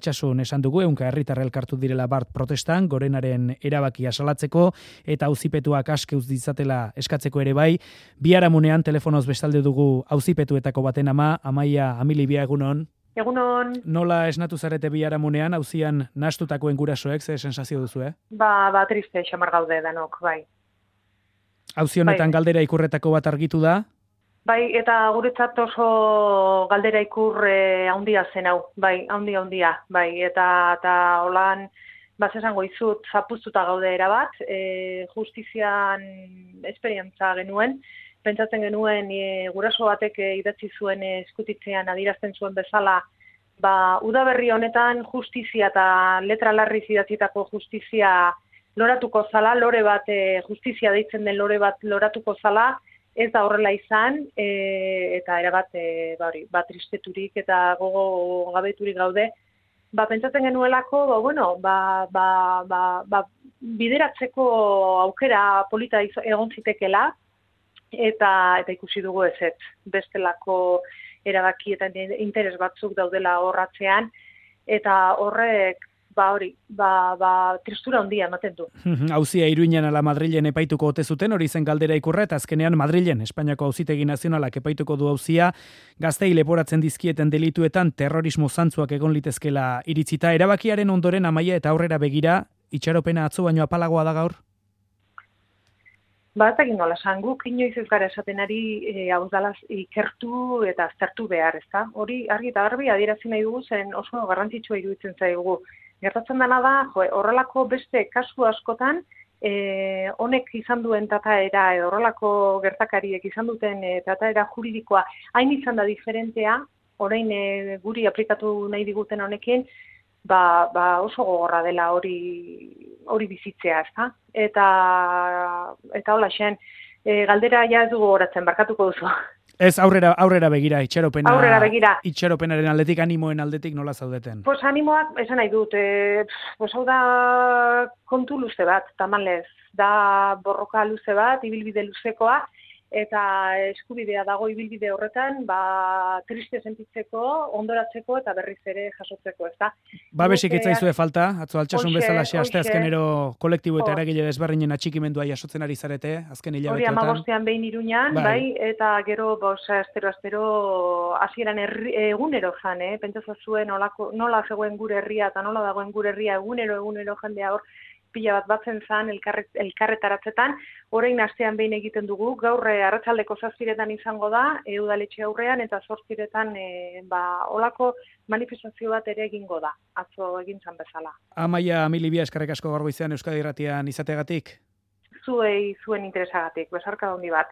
Altsasun esan dugu, ehunka herritar elkartu direla bart protestan, gorenaren erabakia salatzeko eta auzipetuak aske utz ditzatela eskatzeko ere bai. Biharamunean telefonoz bestalde dugu auzipetuetako baten ama, Amaia Amilibia, egunon. Egunon. Nola esnatu zarete biharamunean, auzian nahastutakoen gurasoek, ze sensazio duzu, Ba, triste xamar gaude danok, bai. Auzi honetan galdera ikurretako bat argitu da? Bai, eta guretzat oso galdera ikur handia zen hau, bai, handia, bai, eta holan, esango izut, zapuztuta gaude erabat, justizian esperientza genuen, pentsatzen genuen guraso batek idatzi zuen eskutitzean adierazten zuen bezala, udaberri honetan justizia eta letra larriz idatzitako justizia loratuko zala, lore bat, justizia deitzen den lore bat loratuko zala, ez da horrela izan, eta erabat tristeturik eta gogo gabeturik gaude. Pentsatzen genuelako, bideratzeko aukera polita egon zitekela, eta ikusi dugu ez, bestelako erabaki eta interes batzuk daudela horratzean, eta horrek tristura handia ematen du. Auzia Iruinen ala Madrilen epaituko ote zuten, hori zen galdera ikurra, eta azkenean Madrilen, Espainiako Auzitegi Nazionalak epaituko du auzia, gaztei leporatzen dizkieten delituetan terrorismo zantzuak egon litezkela iritzita. Erabakiaren ondoren, Amaia, eta aurrera begira, itxaropena atzo baino apalagoa da gaur? Ez egin nola, guk inoiz ez gara esaten ari hau dala ikertu eta aztertu behar, ezta? Hori argi eta garbi adierazi nahi dugu zen oso garrantzitsua iruditzen zaigu. Gertatzen dena da, horrelako beste kasu askotan, honek izan duen trataera, edo horrelako gertakariek izan duten trataera juridikoa hain izan da diferentea, orain guri aplikatu nahi diguten honekin, oso gogorra dela hori bizitzea, ezta? Eta hola xen, galdera ja ez dugu gogoratzen, barkatuko duzu. Ez, aurrera begira, itxaropena. Aurrera begira. Itxaropenaren aldetik, animoen aldetik nola zaudeten? Animoak, esan nahi dut, hau da kontu luze bat, tamalez, da borroka luze bat, ibilbide luzekoa, eta eskubidea dago ibilbide horretan, triste sentitzeko, ondoratzeko eta berriz ere jasotzeko, ez da? Babesik itzaizue falta, atzo altsasun bezala asteazkenero kolektibo eta eragile desberdinen atxikimendua jasotzen ari zarete, azken hilabeteotan. Hori 15 behin Iruñan, bai, eta gero, astero, hasieran egunero jan, pentsa zuen nola zegoen gure herria eta nola dagoen gure herria egunero jendea hor, pila bat batzen zan elkarretaratzetan, orain astean behin egiten dugu, gaur arratsaldeko 7:00 izango da, udaletxe aurrean, eta 8:00 olako manifestazio bat ere egingo da, atzo egin zan bezala. Amaia Amilibia, eskerrik asko gaur goizean Euskadi Irratian izateagatik. Zuen interesagatik, besarka handi bat.